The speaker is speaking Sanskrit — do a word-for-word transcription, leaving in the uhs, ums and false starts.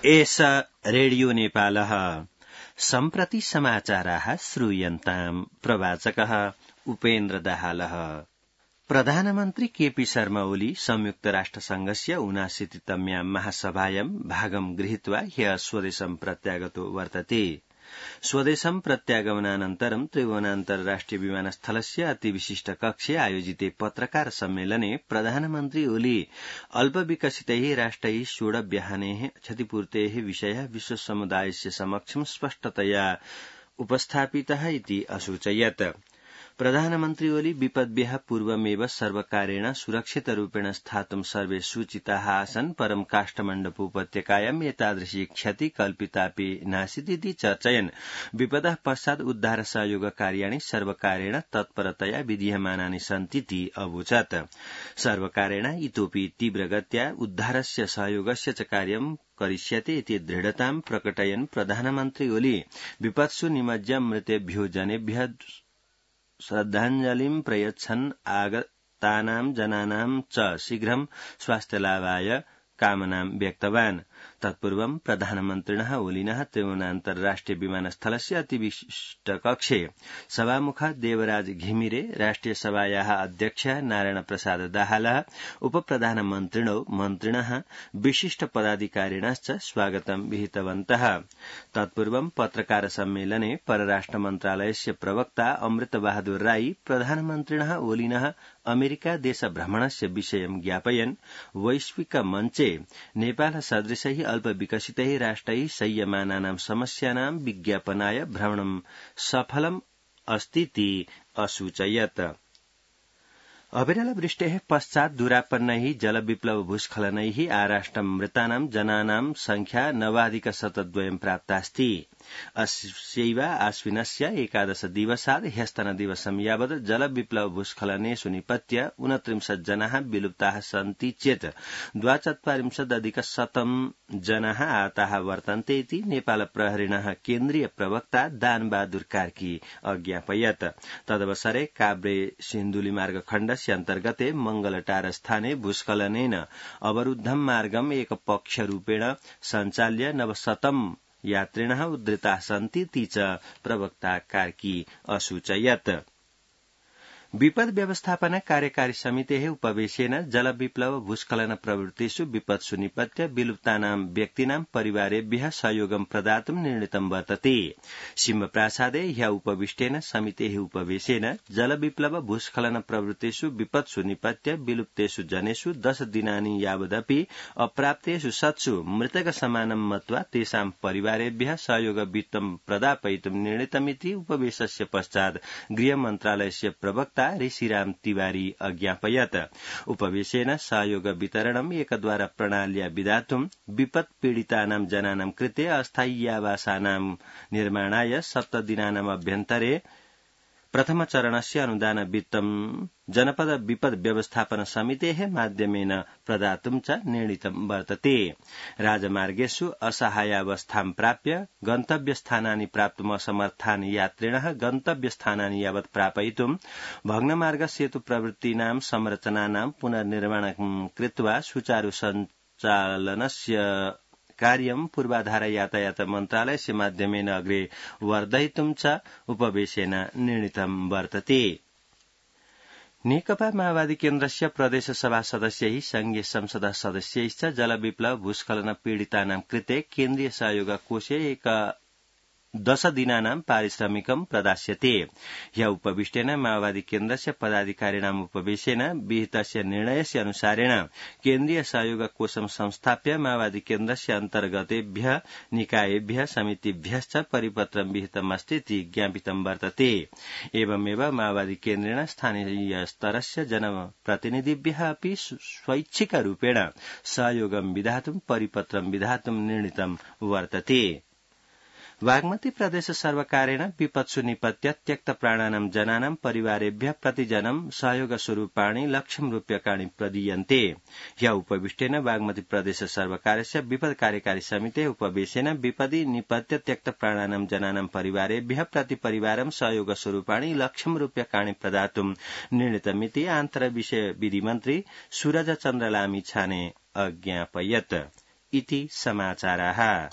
एष रेडियो नेपालः सम्प्रति समाचाराः श्रूयन्ताम् प्रवाचकः उपेन्द्र दाहालः। प्रधानमन्त्री केपी शर्मा ओली संयुक्त राष्ट्रसंघस्य ऊनाशीतितम्यां महासभायां भागं गृहीत्वा ह्यः स्वदेशं प्रत्यागतो वर्तते। स्वदेशं प्रत्यागमनानन्तरं त्रिभुवनान्तर्राष्ट्रिय विमानस्थलस्य अतिविशिष्ट कक्षे आयोजिते पत्रकार सम्मेलने प्रधानमन्त्री ओली अल्पविकसितैः राष्ट्रैः षोडव्याहनेः क्षतिपूर्तेः विषयः विश्वसमुदायस्य समक्षं स्पष्टतया उपस्थापितः इति असूचयत्। प्रधानमन्त्री ओली विपद्भ्यः पूर्वमेव सर्वकारेण सुरक्षितरूपेण स्थातुं सर्वे सूचिताः आसन्, परं काष्ठमण्डपोपत्यकायाम् एतादृशी क्षति कल्पितापि नासीदिति चर्चयन् विपदः पश्चात् उद्धार सहयोग कार्याणि सर्वकारेण तत्परतया विधीयमानानि सन्तीति अवोचत्। सर्वकारेण इतोपि तीव्रगत्या उद्धारस्य सहयोगस्य च कार्यं करिष्यते इति दृढतां प्रकटयन् प्रधानमन्त्री ओली विपत्सु निमज्य मृतेभ्यो जनेभ्यः श्रद्धाञ्जलिं प्रयच्छन् आगतानां जनानां च शीघ्रं स्वास्थ्यलाभाय कामनां व्यक्तवान्। तत्पूर्वं प्रधानमन्त्रिणः ओलिनः त्रिभुवनान्तर्राष्ट्रिय विमानस्थलस्य अतिविशिष्ट कक्षे सभामुखः देवराज घिमिरे, राष्ट्रिय सभायाः अध्यक्षः नारायण प्रसाद दाहालः, उपप्रधानमन्त्रिणो मन्त्रिणः, विशिष्ट पदाधिकारिणश्च स्वागतं विहितवन्तः। तत्पूर्वं पत्रकार सम्मेलने परराष्ट्र मन्त्रालयस्य प्रवक्ता अमृत बहादुर राई प्रधानमन्त्रिणः ओलिनः अमेरिका देश भ्रमणस्य विषयं ज्ञापयन् वैश्विक मञ्चे नेपाल सदृशैः अल्पविकसितैः राष्ट्रैः संयमानानां समस्यानां विज्ञापनाय भ्रमणं सफलम् अस्तीति असूचयत्। अविरल वृष्टेः पश्चात् दूरापन्नैः जलविप्लव भूस्खलनैः आराष्ट्रं मृतानां जनानां संख्या नवाधिक शतद्वयं प्राप्तास्ति। अस्यैव आश्विनस्य एकादश दिवसात् ह्यस्तनदिवसं यावत् जलविप्लव भूस्खलनेषु निपत्य ऊनत्रिंशत् जनाः विलुप्ताः सन्ति चेत् द्वाचत्वारिंशदधिक शतं जनाः आताः वर्तन्ते इति नेपाल प्रहरिणः केन्द्रीय प्रवक्ता दानबहादुर कार्की अज्ञापयत्। तदवसरे काभ्रे सिन्धुली मार्ग खण्डस्य अन्तर्गते मंगलटार स्थाने भूस्खलनेन अवरुद्धं मार्गम् एकपक्षरूपेण सञ्चाल्य नवशतं यात्रिणः उद्धृताः सन्तीति च प्रवक्ता कार्की असूचयत्। विपद व्यवस्थापन कार्यकारी समितेः उपवेशेन जलविप्लव भूस्खलन प्रवृत्तिषु विपत्सु निपत्य विलुप्तानां व्यक्तीनां परिवारेभ्यः सहयोगं प्रदातुं निर्णीतं वर्तते। सिंहप्रासादे ह्यः उपविष्टेन समितेः उपवेशेन जलविप्लव भूस्खलन प्रवृत्तिषु विपत्सु निपत्य विलुप्तेषु जनेषु दश दिनानि यावदपि अप्राप्तेषु शतसु मृतकसमानं मत्वा तेषां परिवारेभ्यः सहयोग वित्तं प्रदापयितुं निर्णीतमिति उपवेशस्य पश्चात् गृहमन्त्रालयस्य प्रवक्ता ऋषिराम तिवारी अज्ञापयत्। उपवेशेन सहयोग वितरणम् एकद्वारा प्रणाल्या विधातुं विपत् पीडितानां जनानां कृते अस्थाय्यावासानां निर्माणाय सप्तदिनानाम् अभ्यन्तरे प्रथमचरणस्य अनुदान वित्तं जनपद विपद व्यवस्थापन समितेः माध्यमेन प्रदातुं च निर्णीतं वर्तते। राजमार्गेषु असहायावस्थां प्राप्य गन्तव्यस्थानानि प्राप्तुम् असमर्थानि यात्रिणः गन्तव्यस्थानानि यावत् प्रापयितुं भग्नमार्ग सेतु प्रवृत्तीनां संरचनानां पुनर्निर्माणं कृत्वा सुचारु सञ्चालनस्य कार्यं पूर्वाधार यातायात मन्त्रालयस्य माध्यमेन अग्रे वर्धयितुं च उपवेशेन निर्णीतं वर्तते। नेकपा माओवादी केन्द्रस्य प्रदेश सभा सदस्यैः संघीय संसद सदस्यैश्च जलविप्लव भूस्खलन पीडितानां कृते केन्द्रीय सहयोग कोषे एक दश दिनानां पारिश्रमिकं प्रदास्यते। ह्यः उपविष्टेन माओवादी केन्द्रस्य पदाधिकारिणाम् उपवेशेन विहितस्य निर्णयस्य अनुसारेण केन्द्रीय सहयोग कोषं संस्थाप्य माओवादी केन्द्रस्य अन्तर्गतेभ्यः निकायेभ्यः समितिभ्यश्च परिपत्रं विहितमस्ति इति ज्ञापितं वर्तते। एवमेव माओवादी केन्द्रेण स्थानीयस्तरस्य जनप्रतिनिधिभ्यः अपि स्वैच्छिकरूपेण सहयोगं विधातुं परिपत्रं विधातुं निर्णीतं वर्तते। बागमती प्रदेश सर्वकारेण विपत्सु निपत्य त्यक्त प्राणानां जनानां परिवारेभ्यः प्रतिजनं सहयोग स्वरूपाणि लक्षं रूप्यकाणि प्रदीयन्ते। ह्यः उपविष्टेन बागमती प्रदेश सर्वकारस्य विपद कार्यकारी समितेः उपवेशेन विपदि निपत्य त्यक्त प्राणानां जनानां परिवारेभ्यः प्रतिपरिवारं सहयोग स्वरूपाणि लक्षं रूप्यकाणि प्रदातुं निर्णीतमिति आन्तरविषय विधि मन्त्री सूरज चन्द्र लामिछाने अज्ञापयत्। इति समाचाराः।